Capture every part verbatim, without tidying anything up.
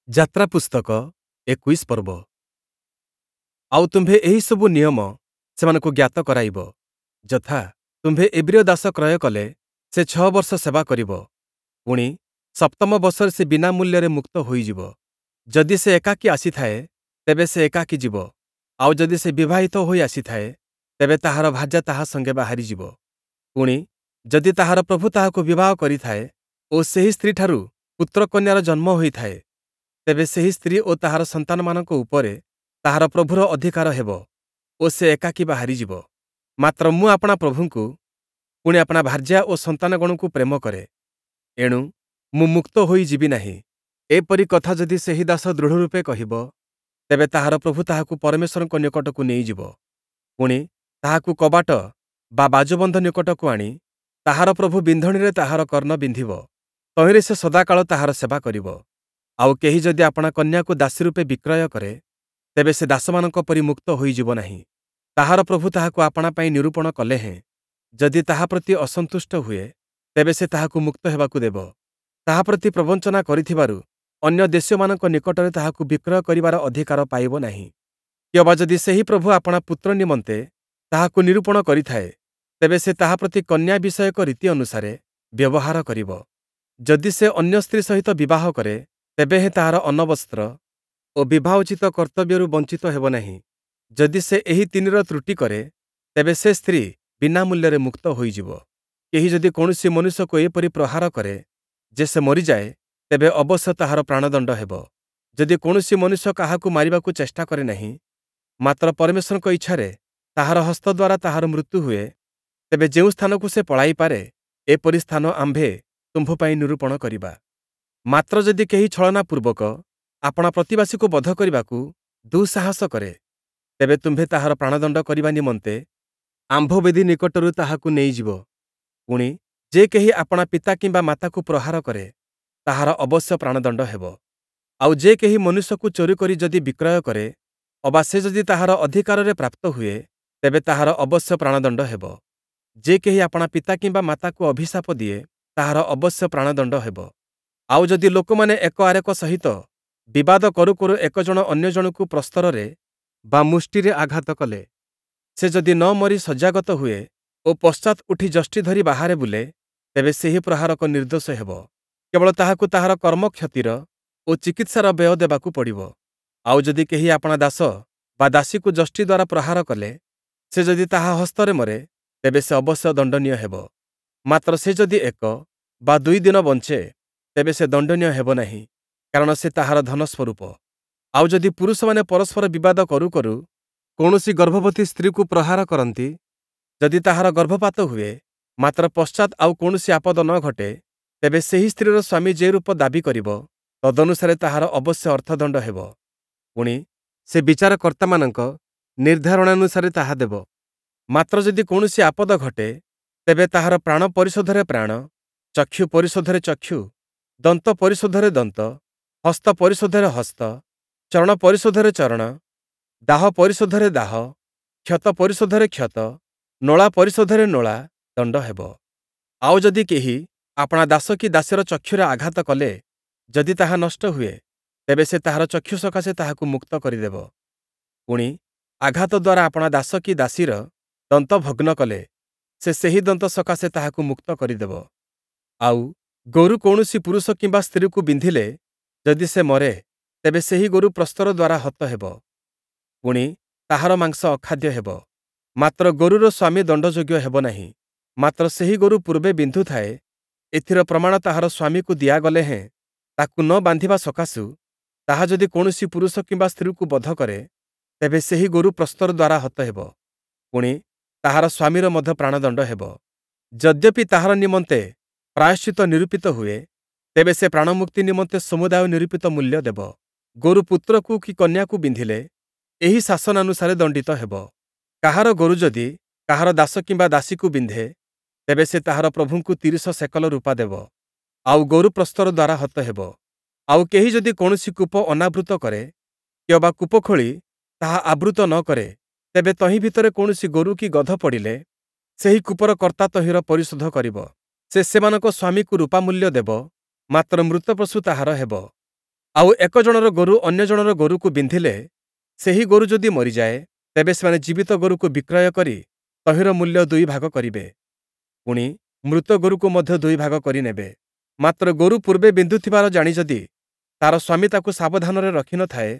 ଯାତ୍ରା ପୁସ୍ତକ ଏକୋଇଶ ପର୍ବ। ଆଉ ତୁମ୍ଭେ ଏହିସବୁ ନିୟମ ସେମାନଙ୍କୁ ଜ୍ଞାତ କରାଇବ, ଯଥା, ତୁମ୍ଭେ ଏବ୍ରୀୟ ଦାସ କ୍ରୟ କଲେ, ସେ ଛଅ ବର୍ଷ ସେବା କରିବ, ପୁଣି, ସପ୍ତମ ବର୍ଷରେ ସେ ବିନା ମୂଲ୍ୟରେ ମୁକ୍ତ ହୋଇଯିବ। ଯଦି ସେ ଏକାକୀ ଆସିଥାଏ, ତେବେ ସେ ଏକାକୀ ଯିବ, ଆଉ ଯଦି ସେ ବିବାହିତ ହୋଇ ଆସିଥାଏ, ତେବେ ତାହାର ଭାର୍ଯ୍ୟା ତାହା ସଙ୍ଗେ ବାହାରିଯିବ। ପୁଣି, ଯଦି ତାହାର ପ୍ରଭୁ ତାହାକୁ ବିବାହ କରିଥାଏ ଓ ସେହି ସ୍ତ୍ରୀଠାରୁ ପୁତ୍ରକନ୍ୟାର ଜନ୍ମ ହୋଇଥାଏ, ତେବେ ସେହି ସ୍ତ୍ରୀ ଓ ତାହାର ସନ୍ତାନମାନଙ୍କ ଉପରେ ତାହାର ପ୍ରଭୁର ଅଧିକାର ହେବ ଓ ସେ ଏକାକୀ ବାହାରିଯିବ। ମାତ୍ର ମୁଁ ଆପଣା ପ୍ରଭୁଙ୍କୁ, ପୁଣି ଆପଣା ଭାର୍ଯ୍ୟା ଓ ସନ୍ତାନଗଣଙ୍କୁ ପ୍ରେମ କରେ, ଏଣୁ ମୁଁ ମୁକ୍ତ ହୋଇ ଯିବି ନାହିଁ। ଏପରି କଥା ଯଦି ସେହି ଦାସ ଦୃଢ଼ରୂପେ କହିବ, ତେବେ ତାହାର ପ୍ରଭୁ ତାହାକୁ ପରମେଶ୍ୱରଙ୍କ ନିକଟକୁ ନେଇଯିବ। ପୁଣି, ତାହାକୁ କବାଟ ବା ବାଜୁବନ୍ଧ ନିକଟକୁ ଆଣି ତାହାର ପ୍ରଭୁ ବିନ୍ଧଣୀରେ ତାହାର କର୍ଣ୍ଣ ବିନ୍ଧିବ, ତହିଁରେ ସେ ସଦାକାଳ ତାହାର ସେବା କରିବ। ଆଉ କେହି ଯଦି ଆପଣା କନ୍ୟାକୁ ଦାସୀ ରୂପେ ବିକ୍ରୟ କରେ, ତେବେ ସେ ଦାସମାନଙ୍କ ପରି ମୁକ୍ତ ହୋଇଯିବ ନାହିଁ। ତାହାର ପ୍ରଭୁ ତାହାକୁ ଆପଣା ପାଇଁ ନିରୂପଣ କଲେ ହେଁ, ଯଦି ତାହା ପ୍ରତି ଅସନ୍ତୁଷ୍ଟ ହୁଏ, ତେବେ ସେ ତାହାକୁ ମୁକ୍ତ ହେବାକୁ ଦେବ। ତାହା ପ୍ରତି ପ୍ରବଞ୍ଚନା କରିଥିବାରୁ ଅନ୍ୟ ଦେଶୀୟମାନଙ୍କ ନିକଟରେ ତାହାକୁ ବିକ୍ରୟ କରିବାର ଅଧିକାର ପାଇବ ନାହିଁ। କିଅବା ଯଦି ସେହି ପ୍ରଭୁ ଆପଣା ପୁତ୍ର ନିମନ୍ତେ ତାହାକୁ ନିରୂପଣ କରିଥାଏ, ତେବେ ସେ ତାହା ପ୍ରତି କନ୍ୟା ବିଷୟକ ରୀତି ଅନୁସାରେ ବ୍ୟବହାର କରିବ। ଯଦି ସେ ଅନ୍ୟ ସ୍ତ୍ରୀ ସହିତ ବିବାହ କରେ, ତେବେ ହେଁ ତାହାର ଅନ୍ନବସ୍ତ୍ର ଓ ବିବାହୋଚିତ କର୍ତ୍ତବ୍ୟରୁ ବଞ୍ଚିତ ହେବ ନାହିଁ। ଯଦି ସେ ଏହି ତିନିର ତ୍ରୁଟି କରେ, ତେବେ ସେ ସ୍ତ୍ରୀ ବିନା ମୂଲ୍ୟରେ ମୁକ୍ତ ହୋଇଯିବ। କେହି ଯଦି କୌଣସି ମନୁଷ୍ୟକୁ ଏପରି ପ୍ରହାର କରେ ଯେ ସେ ମରିଯାଏ, ତେବେ ଅବଶ୍ୟ ତାହାର ପ୍ରାଣଦଣ୍ଡ ହେବ। ଯଦି କୌଣସି ମନୁଷ୍ୟ କାହାକୁ ମାରିବାକୁ ଚେଷ୍ଟା କରେ ନାହିଁ, ମାତ୍ର ପରମେଶ୍ୱରଙ୍କ ଇଚ୍ଛାରେ ତାହାର ହସ୍ତ ଦ୍ୱାରା ତାହାର ମୃତ୍ୟୁ ହୁଏ, ତେବେ ଯେଉଁ ସ୍ଥାନକୁ ସେ ପଳାଇପାରେ, ଏପରି ସ୍ଥାନ ଆମ୍ଭେ ତୁମ୍ଭ ପାଇଁ ନିରୂପଣ କରିବା। ମାତ୍ର ଯଦି କେହି ଛଳନାପୂର୍ବକ ଆପଣା ପ୍ରତିବାସୀକୁ ବଧ କରିବାକୁ ଦୁଃସାହସ କରେ, ତେବେ ତୁମ୍ଭେ ତାହାର ପ୍ରାଣଦଣ୍ଡ କରିବା ନିମନ୍ତେ ଆମ୍ଭ ବେଦି ନିକଟରୁ ତାହାକୁ ନେଇଯିବ। ପୁଣି, ଯେ କେହି ଆପଣା ପିତା କିମ୍ବା ମାତାକୁ ପ୍ରହାର କରେ, ତାହାର ଅବଶ୍ୟ ପ୍ରାଣଦଣ୍ଡ ହେବ। ଆଉ ଯେ କେହି ମନୁଷ୍ୟକୁ ଚୋରି କରି ଯଦି ବିକ୍ରୟ କରେ, ଅବା ସେ ଯଦି ତାହାର ଅଧିକାରରେ ପ୍ରାପ୍ତ ହୁଏ, ତେବେ ତାହାର ଅବଶ୍ୟ ପ୍ରାଣଦଣ୍ଡ ହେବ। ଯେ କେହି ଆପଣା ପିତା କିମ୍ବା ମାତାକୁ ଅଭିଶାପ ଦିଏ, ତାହାର ଅବଶ୍ୟ ପ୍ରାଣଦଣ୍ଡ ହେବ। ଆଉ ଯଦି ଲୋକମାନେ ଏକ ଆରେକ ସହିତ ବିବାଦ କରୁ କରୁ ଏକ ଜଣ ଅନ୍ୟ ଜଣକୁ ପ୍ରସ୍ତରରେ ବା ମୁଷ୍ଟିରେ ଆଘାତ କଲେ, ସେ ଯଦି ନ ମରି ଶଯ୍ୟାଗତ ହୁଏ ଓ ପଶ୍ଚାତ୍ ଉଠି ଯଷ୍ଟି ଧରି ବାହାରେ ବୁଲେ, ତେବେ ସେହି ପ୍ରହାରକ ନିର୍ଦ୍ଦୋଷ ହେବ। କେବଳ ତାହାକୁ ତାହାର କର୍ମକ୍ଷତିର ଓ ଚିକିତ୍ସାର ବ୍ୟୟ ଦେବାକୁ ପଡ଼ିବ। ଆଉ ଯଦି କେହି ଆପଣା ଦାସ ବା ଦାସୀକୁ ଯଷ୍ଟି ଦ୍ୱାରା ପ୍ରହାର କଲେ, ସେ ଯଦି ତାହା ହସ୍ତରେ ମରେ, ତେବେ ସେ ଅବଶ୍ୟ ଦଣ୍ଡନୀୟ ହେବ। ମାତ୍ର ସେ ଯଦି ଏକ ବା ଦୁଇ ଦିନ ବଞ୍ଚେ, ତେବେ ସେ ଦଣ୍ଡନୀୟ ହେବ ନାହିଁ, କାରଣ ସେ ତାହାର ଧନ ସ୍ୱରୂପ। ଆଉ ଯଦି ପୁରୁଷମାନେ ପରସ୍ପର ବିବାଦ କରୁ କରୁ କୌଣସି ଗର୍ଭବତୀ ସ୍ତ୍ରୀକୁ ପ୍ରହାର କରନ୍ତି, ଯଦି ତାହାର ଗର୍ଭପାତ ହୁଏ, ମାତ୍ର ପଶ୍ଚାତ୍ ଆଉ କୌଣସି ଆପଦ ନ ଘଟେ, ତେବେ ସେହି ସ୍ତ୍ରୀର ସ୍ୱାମୀ ଯେ ରୂପ ଦାବି କରିବ, ତଦନୁସାରେ ତାହାର ଅବଶ୍ୟ ଅର୍ଥଦଣ୍ଡ ହେବ। ପୁଣି, ସେ ବିଚାରକର୍ତ୍ତାମାନଙ୍କ ନିର୍ଦ୍ଧାରଣାନୁସାରେ ତାହା ଦେବ। ମାତ୍ର ଯଦି କୌଣସି ଆପଦ ଘଟେ, ତେବେ ତାହାର ପ୍ରାଣ ପରିଶୋଧରେ ପ୍ରାଣ, ଚକ୍ଷୁ ପରିଶୋଧରେ ଚକ୍ଷୁ, ଦନ୍ତ ପରିଶୋଧରେ ଦନ୍ତ, ହସ୍ତ ପରିଶୋଧରେ ହସ୍ତ, ଚରଣ ପରିଶୋଧରେ ଚରଣ, ଦାହ ପରିଶୋଧରେ ଦାହ, କ୍ଷତ ପରିଶୋଧରେ କ୍ଷତ, ନୋଳା ପରିଶୋଧରେ ନୋଳା ଦଣ୍ଡ ହେବ। ଆଉ ଯଦି କେହି ଆପଣା ଦାସ କି ଦାସୀର ଚକ୍ଷୁରେ ଆଘାତ କଲେ, ଯଦି ତାହା ନଷ୍ଟ ହୁଏ, ତେବେ ସେ ତାହାର ଚକ୍ଷୁ ସକାଶେ ତାହାକୁ ମୁକ୍ତ କରିଦେବ। ପୁଣି, ଆଘାତ ଦ୍ୱାରା ଆପଣା ଦାସ କି ଦାସୀର ଦନ୍ତ ଭଗ୍ନ କଲେ, ସେ ସେହି ଦନ୍ତ ସକାଶେ ତାହାକୁ ମୁକ୍ତ କରିଦେବ। ଆଉ ଗୋରୁ କୌଣସି ପୁରୁଷ କିମ୍ବା ସ୍ତ୍ରୀକୁ ବିନ୍ଧିଲେ, ଯଦି ସେ ମରେ, ତେବେ ସେହି ଗୋରୁ ପ୍ରସ୍ତର ଦ୍ୱାରା ହତ ହେବ। ପୁଣି, ତାହାର ମାଂସ ଅଖାଦ୍ୟ ହେବ। ମାତ୍ର ଗୋରୁର ସ୍ୱାମୀ ଦଣ୍ଡଯୋଗ୍ୟ ହେବ ନାହିଁ। ମାତ୍ର ସେହି ଗୋରୁ ପୂର୍ବେ ବିନ୍ଧୁଥାଏ, ଏଥିର ପ୍ରମାଣ ତାହାର ସ୍ୱାମୀକୁ ଦିଆଗଲେ ହେଁ, ତାକୁ ନ ବାନ୍ଧିବା ସକାଶୁ ତାହା ଯଦି କୌଣସି ପୁରୁଷ କିମ୍ବା ସ୍ତ୍ରୀକୁ ବଧ କରେ, ତେବେ ସେହି ଗୋରୁ ପ୍ରସ୍ତର ଦ୍ୱାରା ହତ ହେବ। ପୁଣି, ତାହାର ସ୍ୱାମୀର ମଧ୍ୟ ପ୍ରାଣଦଣ୍ଡ ହେବ। ଯଦ୍ୟପି ତାହାର ନିମନ୍ତେ ପ୍ରାୟଶ୍ଚିତ୍ତ ନିରୂପିତ ହୁଏ, ତେବେ ସେ ପ୍ରାଣମୁକ୍ତି ନିମନ୍ତେ ସମୁଦାୟ ନିରୂପିତ ମୂଲ୍ୟ ଦେବ। ଗୋରୁ ପୁତ୍ରକୁ କି କନ୍ୟାକୁ ବିନ୍ଧିଲେ, ଏହି ଶାସନାନୁସାରେ ଦଣ୍ଡିତ ହେବ। କାହାର ଗୋରୁ ଯଦି କାହାର ଦାସ କିମ୍ବା ଦାସୀକୁ ବିନ୍ଧେ, ତେବେ ସେ ତାହାର ପ୍ରଭୁଙ୍କୁ ତିରିଶ ସେକଲ ରୂପା ଦେବ, ଆଉ ଗୋରୁ ପ୍ରସ୍ତର ଦ୍ୱାରା ହତ ହେବ। ଆଉ କେହି ଯଦି କୌଣସି କୂପ ଅନାବୃତ କରେ, କିଅବା କୂପ ଖୋଳି ତାହା ଆବୃତ ନ କରେ, ତେବେ ତହିଁ ଭିତରେ କୌଣସି ଗୋରୁ କି ଗଧ ପଡ଼ିଲେ, ସେହି କୂପର କର୍ତ୍ତା ତହିଁର ପରିଶୋଧ କରିବ। ସେ ସେମାନଙ୍କ ସ୍ୱାମୀକୁ ରୂପା ମୂଲ୍ୟ ଦେବ, ମାତ୍ର ମୃତ ପଶୁ ତାହାର ହେବ। ଆଉ ଏକ ଜଣର ଗୋରୁ ଅନ୍ୟ ଜଣର ଗୋରୁକୁ ବିନ୍ଧିଲେ, ସେହି ଗୋରୁ ଯଦି ମରିଯାଏ, ତେବେ ସେମାନେ ଜୀବିତ ଗୋରୁକୁ ବିକ୍ରୟ କରି ତହିଁର ମୂଲ୍ୟ ଦୁଇ ଭାଗ କରିବେ। ପୁଣି, ମୃତ ଗୋରୁକୁ ମଧ୍ୟ ଦୁଇ ଭାଗ କରି ନେବେ। ମାତ୍ର ଗୋରୁ ପୂର୍ବେ ବିନ୍ଧୁଥିବାର ଜାଣି ଯଦି ତା'ର ସ୍ୱାମୀ ତାକୁ ସାବଧାନରେ ରଖି ନ ଥାଏ,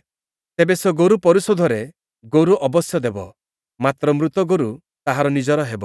ତେବେ ସେ ଗୋରୁ ପରିଶୋଧରେ ଗୋରୁ ଅବଶ୍ୟ ଦେବ, ମାତ୍ର ମୃତ ଗୋରୁ ତାହାର ନିଜର ହେବ।